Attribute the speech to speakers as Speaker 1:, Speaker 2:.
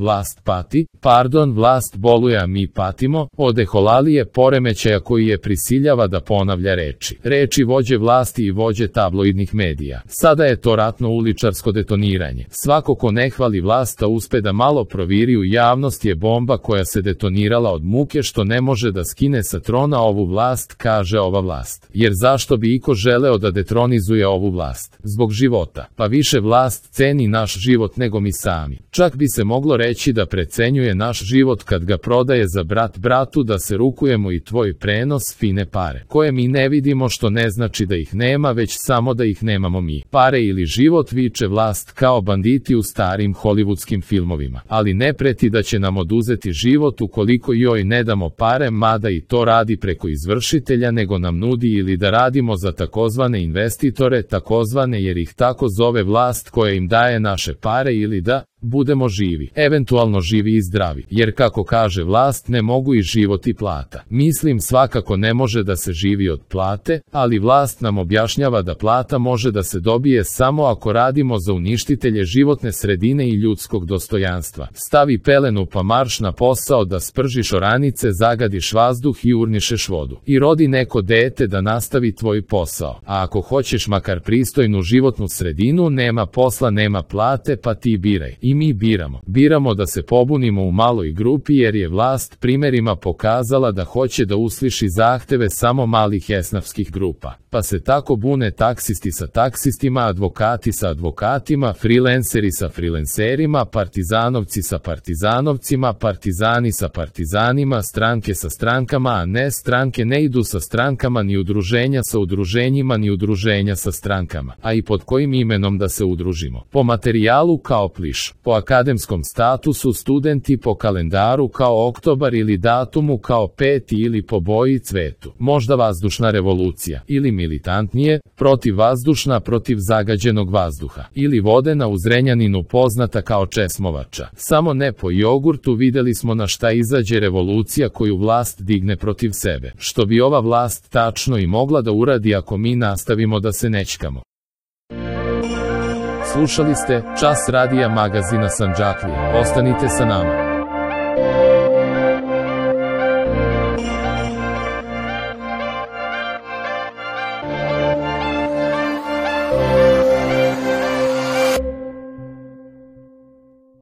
Speaker 1: vlast pati, vlast boluje a mi patimo, od eholalije poremećaja koji je prisiljava da ponavlja reči vođe vlasti i vođe tabloidnih medija. Sada je to ratno uličarsko detoniranje. Svako ko ne hvali vlast a uspe da malo proviri u javnost je bomba koja se detonirala od muke što ne može da skine sa trona ovu vlast, kaže ova vlast. Jer zašto bi iko želeo da detronizuje ovu vlast? Zbog života. Pa više vlast ceni naš život nego mi sami. Čak bi se moglo reći da precenjuje naš život kad ga prodaje za brat bratu, da se rukujemo i tvoj prenos fine pare, koje mi ne vidimo, što ne znači da ih nema, već samo da ih nemamo mi. Pare ili život, viče vlast kao banditi u starim hollywoodskim filmovima, ali ne preti da će nam oduzeti život ukoliko joj ne damo pare, mada i to radi preko izvršitelja, nego nam nudi ili da radimo za takozvane investitore, takozvane jer ih tako zove vlast koja im daje naše pare, ili da budemo živi, eventualno živi i zdravi, jer kako kaže vlast ne mogu i život i plata. Mislim svakako ne može da se živi od plate, ali vlast nam objašnjava da plata može da se dobije samo ako radimo za uništitelje životne sredine i ljudskog dostojanstva. Stavi pelenu pa marš na posao da spržiš oranice, zagadiš vazduh i urnišeš vodu. I rodi neko dete da nastavi tvoj posao. A ako hoćeš makar pristojnu životnu sredinu, nema posla, nema plate, pa ti biraj. I mi biramo. Biramo da se pobunimo u maloj grupi jer je vlast primerima pokazala da hoće da usliši zahteve samo malih esnafskih grupa. Pa se tako bune taksisti sa taksistima, advokati sa advokatima, freelanceri sa freelancerima, partizanovci sa partizanovcima, partizani sa partizanima, stranke sa strankama, a ne stranke ne idu sa strankama, ni udruženja sa udruženjima, ni udruženja sa strankama. A i pod kojim imenom da se udružimo? Po materijalu kao pliš, po akademskom statusu studenti, po kalendaru kao oktobar ili datumu kao 5. ili po boji cvetu. Možda vazdušna revolucija, ili militantnije, protivvazdušna, protiv zagađenog vazduha, ili vodena u Zrenjaninu poznata kao česmovača. Samo ne po jogurtu. Videli smo na šta izađe revolucija koju vlast digne protiv sebe, što bi ova vlast tačno i mogla da uradi ako mi nastavimo da se nećkamo. Slušali ste Čas radija magazina Sandžaklija. Ostanite sa nama.